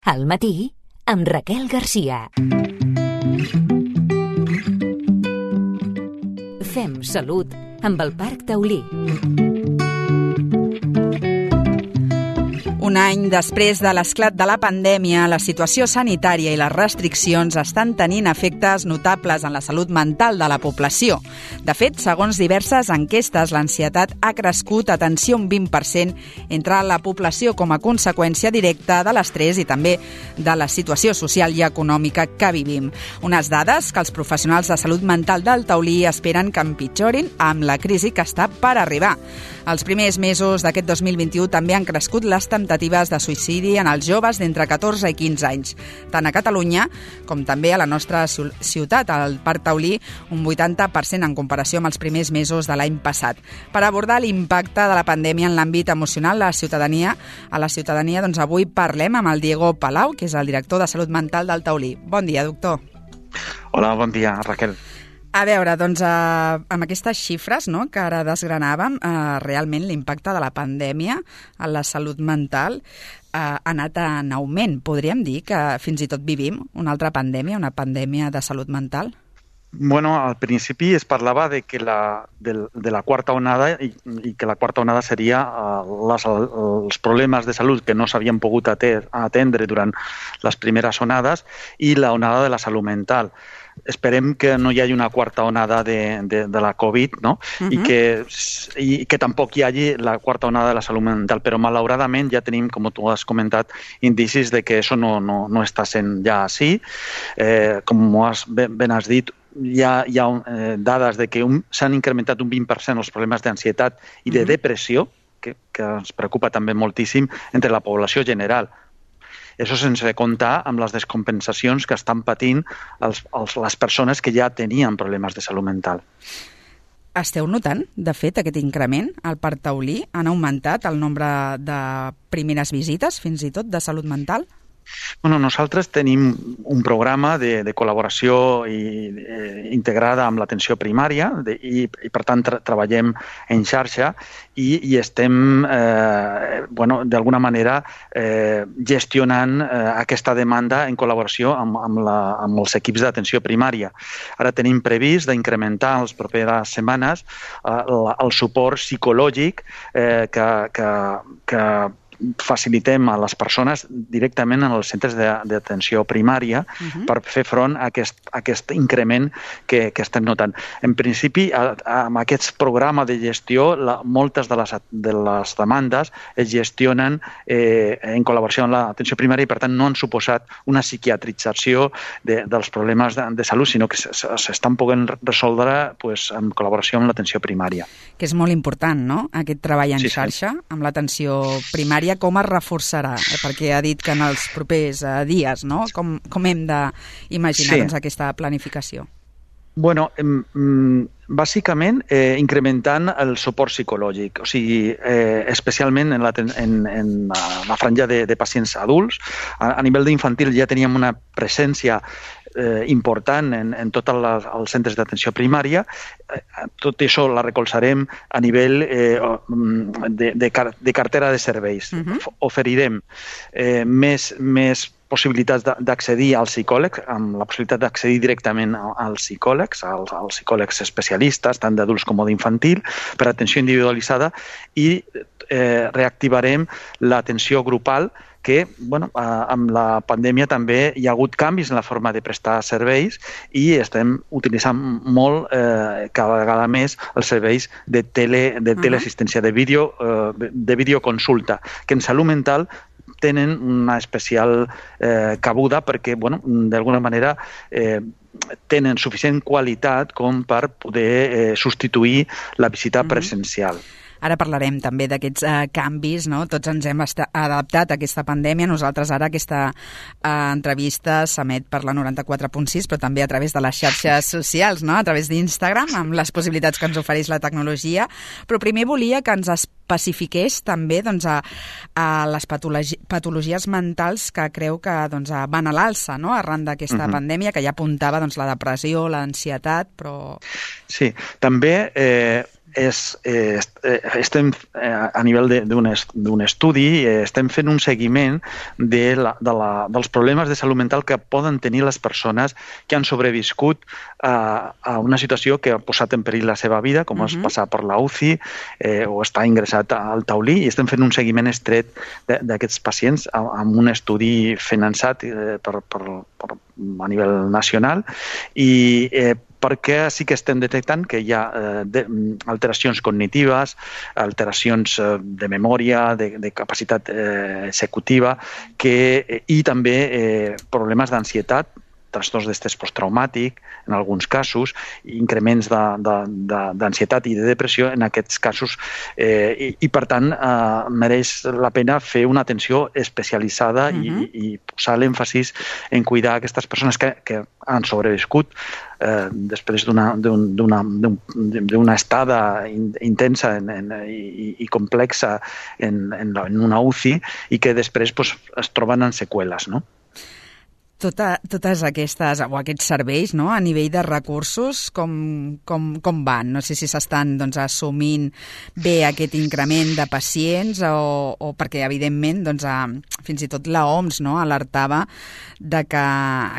Al matí, amb Raquel Garcia. Fem salut amb el Parc Taulí. Un any després de l'esclat de la pandèmia, la situació sanitària i les restriccions estan tenint efectes notables en la salut mental de la població. De fet, segons diverses enquestes, l'ansietat ha crescut, atenció, un 20% entre la població com a conseqüència directa de l'estrès i també de la situació social i econòmica que vivim. Unes dades que els professionals de salut mental del Taulí esperen que empitjorin amb la crisi que està per arribar. Els primers mesos d'aquest 2021 també han crescut les temptatives de suïcidi en els joves d'entre 14 i 15 anys. Tant a Catalunya com també a la nostra ciutat, al Parc Taulí, un 80% en comparació amb els primers mesos de l'any passat. Per abordar l'impacte de la pandèmia en l'àmbit emocional a la ciutadania, doncs avui parlem amb el Diego Palau, que és el director de Salut Mental del Taulí. Bon dia, doctor. Hola, bon dia, Raquel. A veure, doncs, amb aquestes xifres que ara desgranàvem, realment l'impacte de la pandèmia a la salut mental ha anat en augment. Podríem dir que fins i tot vivim una altra pandèmia, una pandèmia de salut mental? Bueno, al principi es parlava de la quarta onada i que la quarta onada seria els problemes de salut que no s'havien pogut atendre durant les primeres onades i la onada de la salut mental. Esperem que no hi hagi una quarta onada de la Covid, no? I que tampoc hi hagi la quarta onada de la salut mental, però malauradament ja tenim, com tu has comentat, indicis de que això no està sent ja així. Com ben has dit, hi ha dades de que s'han incrementat un 20% els problemes d'ansietat i de depressió, que ens preocupa també moltíssim entre la població general. Això sense comptar amb les descompensacions que estan patint les persones que ja tenien problemes de salut mental. Esteu notant, de fet, aquest increment al Parc Taulí? Han augmentat el nombre de primeres visites, fins i tot, de salut mental? Bueno, nosaltres tenim un programa de col·laboració integrada amb l'atenció primària i per tant, treballem en xarxa i estem, d'alguna manera, gestionant aquesta demanda en col·laboració amb els equips d'atenció primària. Ara tenim previst d'incrementar en les properes setmanes el suport psicològic que facilitem a les persones directament en els centres d'atenció primària per fer front a aquest increment que estem notant. En principi, amb aquest programa de gestió, moltes de les demandes es gestionen en col·laboració amb l'atenció primària i, per tant, no han suposat una psiquiatrització dels problemes de salut, sinó que s'estan podent resoldre en col·laboració amb l'atenció primària. Que és molt important, no?, aquest treball en xarxa amb l'atenció primària. Com es reforçarà? Perquè ha dit que en els propers dies, no? Com hem d'imaginar aquesta planificació? Bueno, bàsicament incrementant el suport psicològic, o sigui, especialment en la franja de pacients adults. A nivell d'infantil ja teníem una presència important en tots els centres d'atenció primària. Tot això la recolzarem a nivell de cartera de serveis. Oferirem més possibilitats d'accedir als psicòlegs, amb la possibilitat d'accedir directament als psicòlegs especialistes, tant d'adults com d'infantil, per atenció individualitzada, i reactivarem l'atenció grupal, que amb la pandèmia també hi ha hagut canvis en la forma de prestar serveis i estem utilitzant molt, cada vegada més, els serveis de teleassistència, de videoconsulta, que en salut mental tenen una especial cabuda perquè, d'alguna manera, tenen suficient qualitat com per poder substituir la visita presencial. Ara parlarem també d'aquests canvis, no? Tots ens hem adaptat a aquesta pandèmia. Nosaltres ara aquesta entrevista s'emet per la 94.6, però també a través de les xarxes socials, no? A través d'Instagram, amb les possibilitats que ens ofereix la tecnologia. Però primer volia que ens especifiqués també a les patologies mentals que creu que van a l'alça, no? Arran d'aquesta pandèmia, que ja apuntava la depressió, l'ansietat, però... Sí, també estem a nivell d'un estudi, estem fent un seguiment dels problemes de salut mental que poden tenir les persones que han sobreviscut a una situació que ha posat en perill la seva vida, com és passar per la UCI o estar ingressat al taulí, i estem fent un seguiment estret d'aquests pacients amb un estudi finançat a nivell nacional, i perquè sí que estem detectant que hi ha alteracions cognitives, alteracions de memòria, de capacitat executiva, i també problemes d'ansietat, trastorns d'estrès posttraumàtic, en alguns casos, increments d'ansietat i de depressió en aquests casos, i per tant mereix la pena fer una atenció especialitzada i posar l'èmfasis en cuidar aquestes persones que han sobreviscut després d'una estada intensa i complexa en una UCI i que després es troben en seqüeles, no? Totes aquestes o aquests serveis, no, a nivell de recursos, com van? No sé si s'estan assumint bé aquest increment de pacients o perquè, evidentment, fins i tot l'OMS alertava de que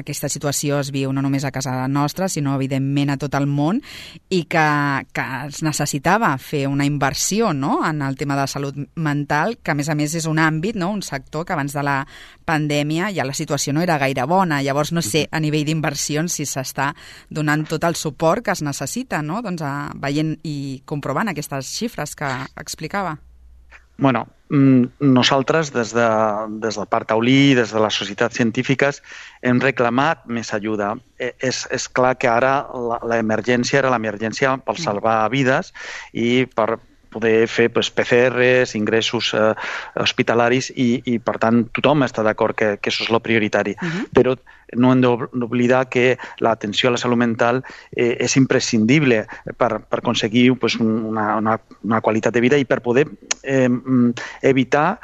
aquesta situació es viu no només a casa nostra, sinó, evidentment, a tot el món, i que es necessitava fer una inversió en el tema de salut mental, que, a més, és un àmbit, un sector que abans de la pandèmia ja la situació no era gaire bona. Llavors, no sé, a nivell d'inversions, si s'està donant tot el suport que es necessita, veient i comprovant aquestes xifres que explicava. Bueno, nosaltres, des del Parc Taulí, des de les societats científiques, hem reclamat més ajuda. És clar que ara l'emergència era l'emergència per salvar vides i per poder fer PCRs, ingressos hospitalaris, i per tant tothom està d'acord que això és el prioritari. Però no hem d'oblidar que l'atenció a la salut mental és imprescindible per aconseguir una qualitat de vida i per poder evitar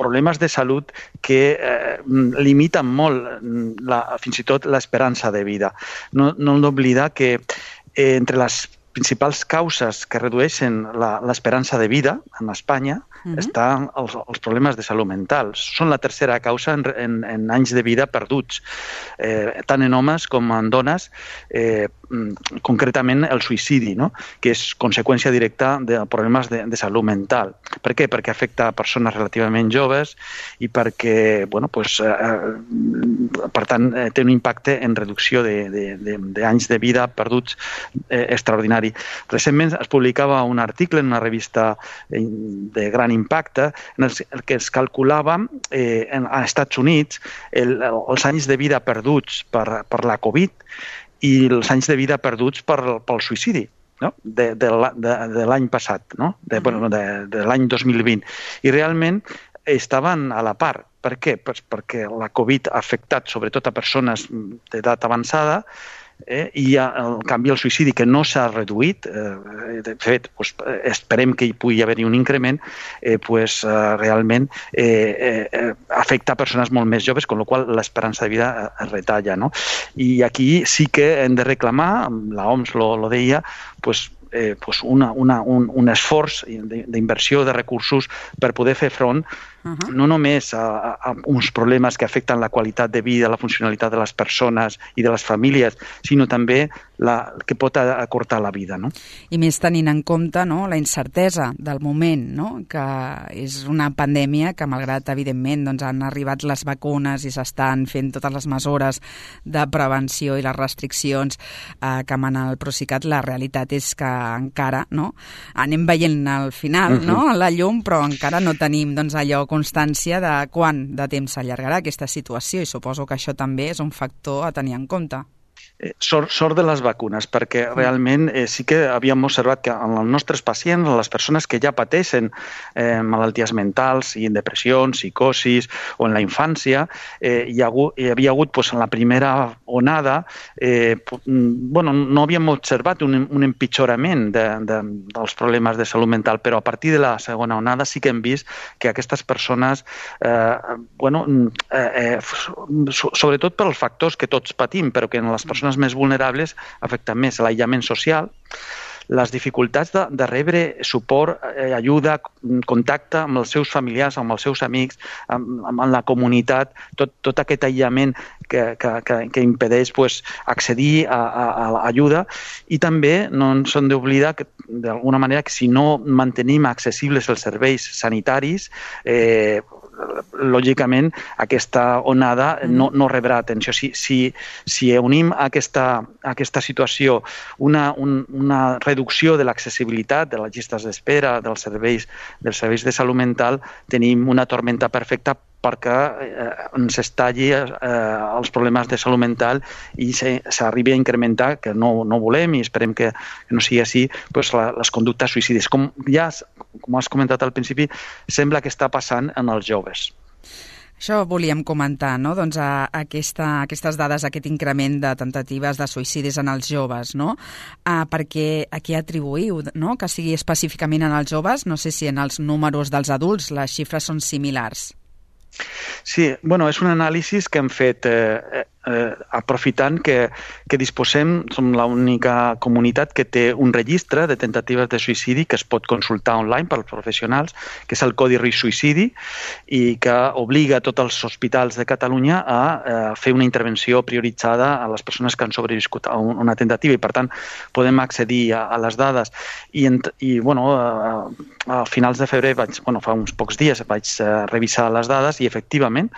problemes de salut que limiten molt fins i tot l'esperança de vida. No hem d'oblidar que entre les principals causes que redueixen l'esperança de vida en Espanya estan els problemes de salut mental. Són la tercera causa en anys de vida perduts, tant en homes com en dones, concretament el suïcidi, que és conseqüència directa de problemes de salut mental. Per què? Perquè afecta a persones relativament joves i perquè, per tant, té un impacte en reducció d'anys de vida perduts extraordinari. Recentment es publicava un article en una revista de gran impacte en el que es calculava als Estats Units els anys de vida perduts per la Covid i els anys de vida perduts pel suïcidi de l'any passat, de l'any 2020. I realment estaven a la part. Per què? Perquè la Covid ha afectat sobretot a persones d'edat avançada, i en canvi el suïcidi, que no s'ha reduït, de fet esperem que hi pugui haver-hi un increment, realment afecta a persones molt més joves, amb la qual cosa l'esperança de vida es retalla. I aquí sí que hem de reclamar, l'OMS lo deia, un esforç d'inversió de recursos per poder fer front no només a uns problemes que afecten la qualitat de vida, la funcionalitat de les persones i de les famílies, sinó també que pot acortar la vida. I més tenint en compte la incertesa del moment, que és una pandèmia que, malgrat, evidentment, han arribat les vacunes i s'estan fent totes les mesures de prevenció i les restriccions que emana el Procicat, la realitat és que encara anem veient al final la llum, però encara no tenim allò constància de quant de temps s'allargarà aquesta situació, i suposo que això també és un factor a tenir en compte. Sort de les vacunes, perquè realment sí que havíem observat que en els nostres pacients, les persones que ja pateixen malalties mentals, i en depressions, psicosis o en la infància, hi havia hagut en la primera onada, no havíem observat un empitjorament dels problemes de salut mental, però a partir de la segona onada sí que hem vist que aquestes persones, sobretot pels factors que tots patim, però que en les persones més vulnerables afecta més l'aïllament social, les dificultats de rebre suport, ajuda, contacte amb els seus familiars, amb els seus amics, amb la comunitat, tot aquest aïllament que impedeix accedir a l'ajuda. I també no ens hem d'oblidar que, d'alguna manera, que si no mantenim accessibles els serveis sanitaris, lògicament aquesta onada no rebrà atenció. Si unim a aquesta situació una reducció de l'accessibilitat, de les llistes d'espera, dels serveis de salut mental, tenim una tormenta perfecta perquè ens estalli els problemes de salut mental i s'arribi a incrementar, que no volem i esperem que no sigui així, les conductes suïcides. Com has comentat al principi, sembla que està passant en els joves. Això volíem comentar, no? Doncs aquestes dades, aquest increment de temptatives de suïcidis en els joves, no? Perquè a què atribuïu, no? Que sigui específicament en els joves? No sé si en els números dels adults les xifres són similars. Sí, és un anàlisi que hem fet aprofitant que disposem, som l'única comunitat que té un registre de tentatives de suïcidi que es pot consultar online pels professionals, que és el Codi Risc Suïcidi, i que obliga a tots els hospitals de Catalunya a fer una intervenció prioritzada a les persones que han sobreviscut a una tentativa, i per tant podem accedir a les dades. I a finals de febrer, fa uns pocs dies, vaig revisar les dades i efectivament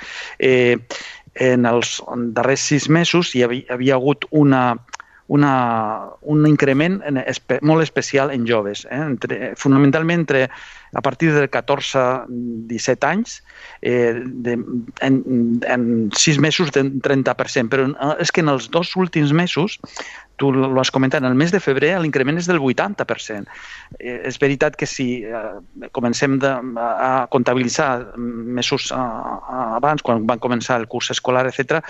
en els darrers 6 mesos hi havia hagut un increment molt especial en joves, fonamentalment a partir de 14-17 anys, en 6 mesos d'un 30%, però és que en els 2 últims mesos, tu ho has comentat, en el mes de febrer l'increment és del 80%. És veritat que si comencem a comptabilitzar mesos abans, quan van començar el curs escolar, etc.,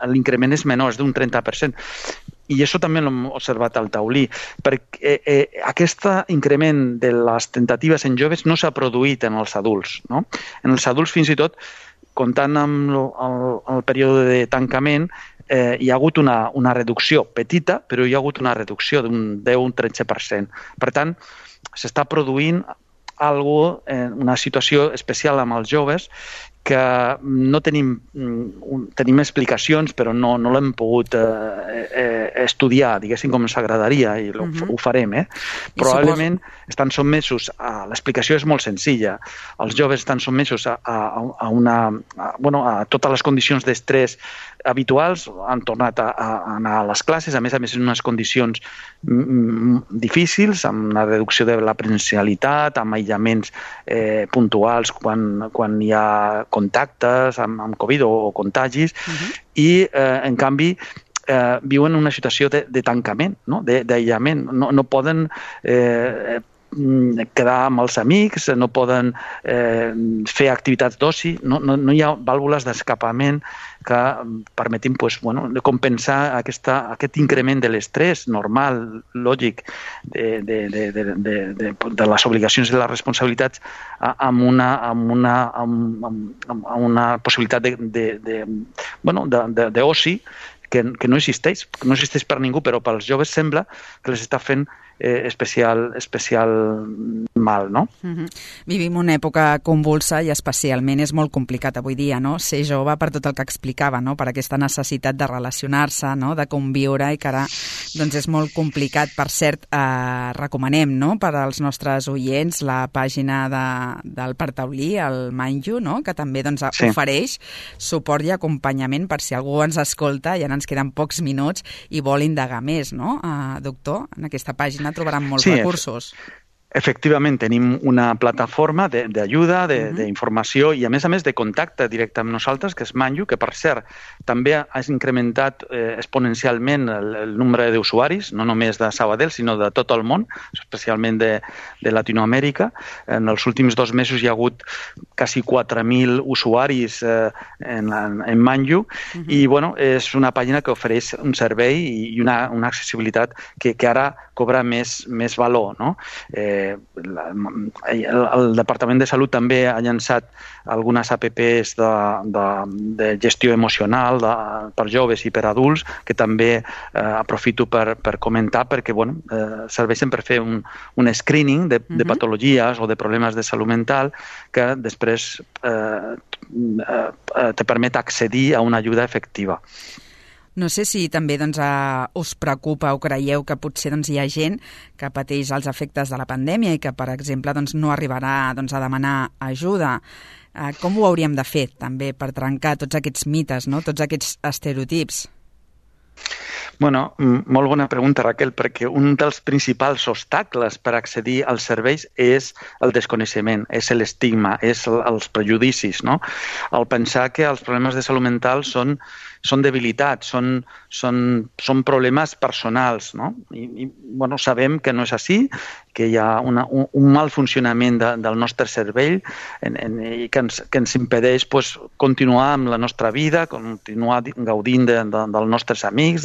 l'increment és menor, és d'un 30%. I això també l'hem observat al taulí, perquè aquest increment de les tentatives en joves no s'ha produït en els adults, no? En els adults, fins i tot, comptant amb el període de tancament, hi ha hagut una reducció petita, però hi ha hagut una reducció d'un 10-13%. Per tant, s'està produint una situació especial amb els joves que no tenim explicacions, però no l'hem pogut estudiar, diguéssim, com ens agradaria, i ho farem. Probablement estan sotmesos l'explicació és molt senzilla. Els joves estan sotmesos a totes les condicions d'estrès habituals, han tornat a anar a les classes, a més en unes condicions difícils, amb una reducció de la presencialitat, amb aïllaments puntuals quan hi ha contactes amb Covid o contagis, i en canvi viuen una situació de tancament, d'aïllament. No poden quedar amb els amics, no poden fer activitats d'oci, no hi ha vàlvules d'escapament que permetin compensar aquest increment de l'estrès normal, lògic, de les obligacions i les responsabilitats amb una possibilitat d'oci que no existeix per ningú, però pels joves sembla que les està fent especial mal, no? Vivim una època convulsa i especialment és molt complicat avui dia, no? Ser jove, per tot el que explicava, no? Per aquesta necessitat de relacionar-se, no? De conviure, i que ara doncs és molt complicat. Per cert, recomanem, no? Per als nostres oients la pàgina del Parc Taulí, el Manju, no? Que també ofereix suport i acompanyament per si algú ens escolta, ja ens queden pocs minuts i vol indagar més, no? Doctor, en aquesta pàgina trobaran molts recursos. Efectivament, tenim una plataforma d'ajuda, d'informació i, a més de contacte directe amb nosaltres, que és Manju, que, per cert, també ha incrementat exponencialment el nombre d'usuaris, no només de Sabadell, sinó de tot el món, especialment de Latinoamèrica. En els últims 2 mesos hi ha hagut quasi 4.000 usuaris en Manju, i és una pàgina que ofereix un servei i una accessibilitat que ara, cobra més valor, no? El Departament de Salut també ha llançat algunes apps de gestió emocional per joves i per adults, que també aprofito per comentar, perquè serveixen per fer un screening de patologies o de problemes de salut mental que després te permet accedir a una ajuda efectiva. No sé si també us preocupa o creieu que potser hi ha gent que pateix els efectes de la pandèmia i que, per exemple, no arribarà a demanar ajuda. Com ho hauríem de fer, també, per trencar tots aquests mites, no? Tots aquests estereotips? Bueno, molt bona pregunta, Raquel, perquè un dels principals obstacles per accedir als serveis és el desconeixement, és l'estigma, és els prejudicis, no? El pensar que els problemes de salut mental són debilitats, són problemes personals, no? I sabem que no és així, que hi ha un mal funcionament del nostre cervell i que ens impedeix continuar amb la nostra vida, continuar gaudint dels nostres amics.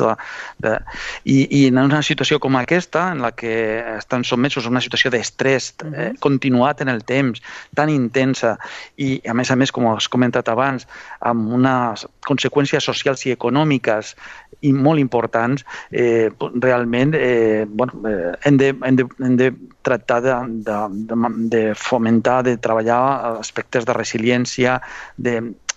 I en una situació com aquesta, en la que estan sotmesos a una situació d'estrès continuat en el temps, tan intensa, i a més, com has comentat abans, amb unes conseqüències socials i econòmiques i molt importants, realment hem de tractar de fomentar, de treballar aspectes de resiliència,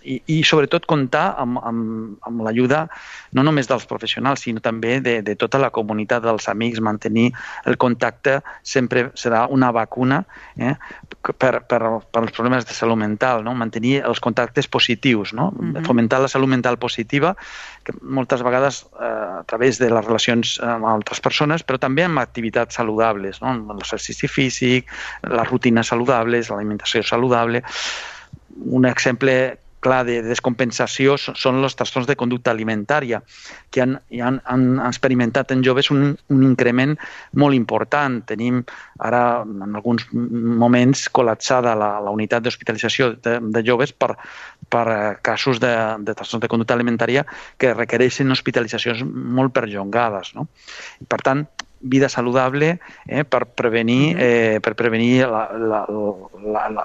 i sobretot comptar amb l'ajuda no només dels professionals, sinó també de tota la comunitat dels amics. Mantenir el contacte sempre serà una vacuna per als problemes de salut mental, no? Mantenir els contactes positius, no? Fomentar la salut mental positiva, que moltes vegades a través de les relacions amb altres persones, però també amb activitats saludables, no? L'exercici físic, les rutines saludables, l'alimentació saludable. Un exemple clar de descompensació són els trastorns de conducta alimentària, que han experimentat en joves un increment molt important. Tenim ara, en alguns moments, col·lapsada la unitat d'hospitalització de joves per casos de trastorns de conducta alimentària que requereixen hospitalitzacions molt perllongades, no? Per tant, vida saludable per prevenir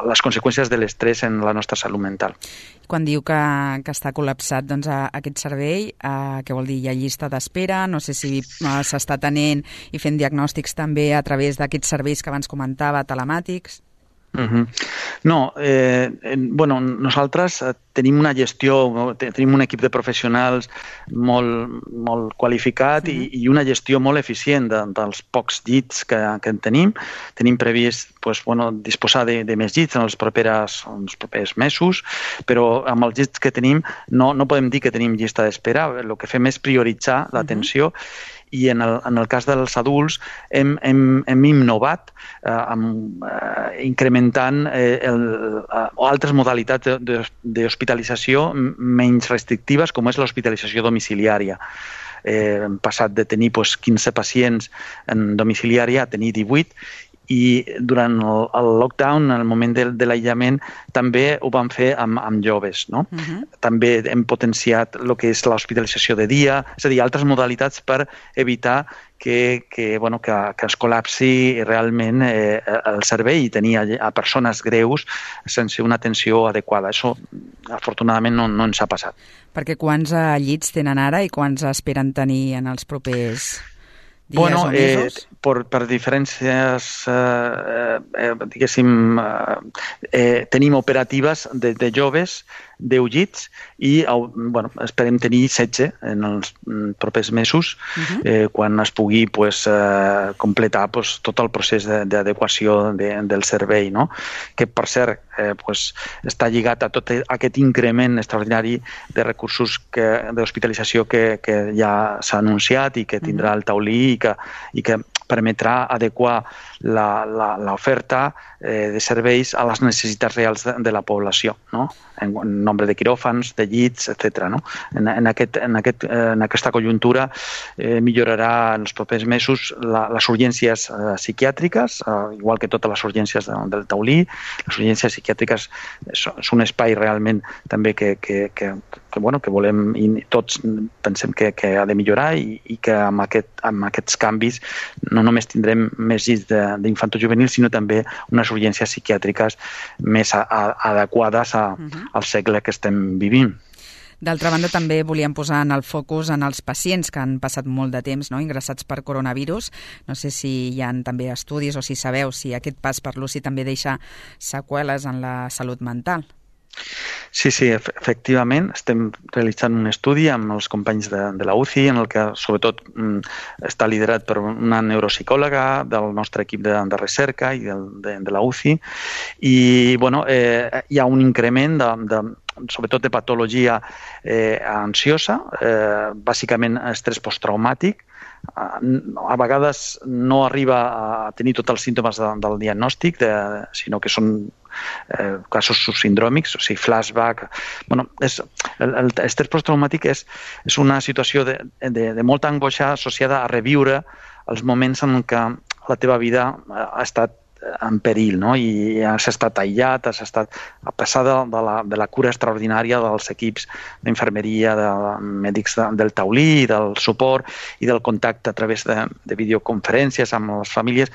les conseqüències de l'estrès en la nostra salut mental. Quan diu que està col·lapsat aquest servei, què vol dir? Hi ha llista d'espera? No sé si s'està atenent i fent diagnòstics també a través d'aquests serveis que abans comentava, telemàtics? No, nosaltres tenim una gestió, tenim un equip de professionals molt qualificat i una gestió molt eficient dels pocs llits que en tenim. Tenim previst disposar de més llits en els propers mesos, però amb els llits que tenim no podem dir que tenim llista d'espera. El que fem és prioritzar l'atenció. I en el cas dels adults hem innovat incrementant altres modalitats d'hospitalització menys restrictives, com és l'hospitalització domiciliària. Hem passat de tenir 15 pacients en domiciliària a tenir 18, i durant el lockdown, en el moment de l'aïllament, també ho vam fer amb joves, no? També hem potenciat el que és l'hospitalització de dia, és a dir, altres modalitats per evitar que es col·lapsi realment el servei i tenir a persones greus sense una atenció adequada. Això, afortunadament, no ens ha passat. Perquè quants llits tenen ara i quants esperen tenir en els propers dies o mesos? Per diferències, diguéssim, tenim operatives de joves, 10 llits, i esperem tenir 16 en els propers mesos, quan es pugui completar tot el procés d'adequació del servei, no? Que, per cert, està lligat a tot aquest increment extraordinari de recursos d'hospitalització que ja s'ha anunciat i que tindrà el taulí i que permetrà adequar l'oferta de serveis a les necessitats reals de la població, no? en nombre de quiròfans, de llits, etc. No? En aquesta conjuntura millorarà en els propers mesos les urgències psiquiàtriques, igual que totes les urgències del Taulí. Les urgències psiquiàtriques és un espai realment també que volem, i tots pensem que ha de millorar i que amb aquests canvis no només tindrem més llits d'infantojuvenil, sinó també unes urgències psiquiàtriques més adequades al segle que estem vivint. D'altra banda, també volíem posar en el focus en els pacients que han passat molt de temps ingressats per coronavirus. No sé si hi ha també estudis o si sabeu si aquest pas per l'UCI també deixa seqüeles en la salut mental. Sí, efectivament. Estem realitzant un estudi amb els companys de la UCI, en el que sobretot està liderat per una neuropsicòloga del nostre equip de recerca i de la UCI. I hi ha un increment sobretot de patologia ansiosa, bàsicament estrès posttraumàtic. A vegades no arriba a tenir tots els símptomes del diagnòstic, sinó que són casos subsindròmics, o sigui, flashback. L'estrès posttraumàtic és una situació de molta angoixa associada a reviure els moments en què la teva vida ha estat en perill, no? I has estat aïllat, a pesar de la cura extraordinària dels equips d'infermeria, de mèdics del Taulí, del suport i del contacte a través de videoconferències amb les famílies,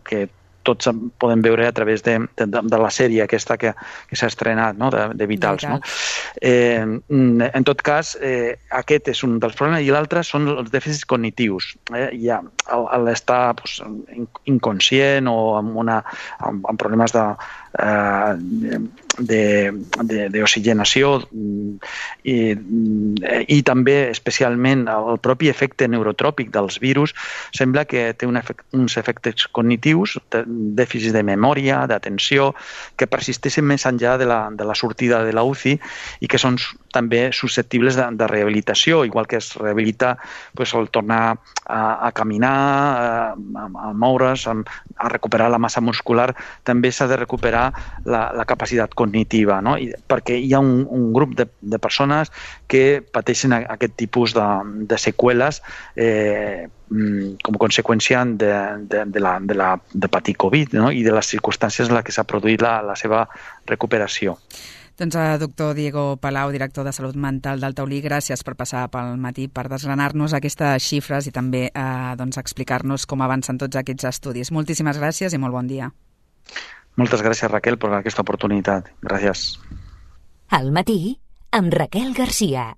que tots podem veure a través de la sèrie aquesta que s'ha estrenat, no? de Vitals. No? En tot cas, aquest és un dels problemes, i l'altre són els dèficits cognitius. L'estar inconscient o amb problemes d'oxigenació i també especialment el propi efecte neurotròpic dels virus sembla que té uns efectes cognitius, dèficits de memòria, d'atenció, que persisteixen més enllà de la sortida de la UCI i que són també susceptibles de rehabilitació, igual que es rehabilita el tornar a caminar, a moure's, a recuperar la massa muscular, també s'ha de recuperar la capacitat cognitiva, no? Perquè hi ha un grup de persones que pateixen aquest tipus de seqüeles com a conseqüència de patir Covid, no? I de les circumstàncies en què s'ha produït la seva recuperació. Doncs doctor Diego Palau, director de Salut Mental del Taulí, gràcies per passar pel matí, per desgranar-nos aquestes xifres i també explicar-nos com avancen tots aquests estudis. Moltíssimes gràcies i molt bon dia. Moltes gràcies, Raquel, per aquesta oportunitat. Gràcies. Al matí, amb Raquel Garcia.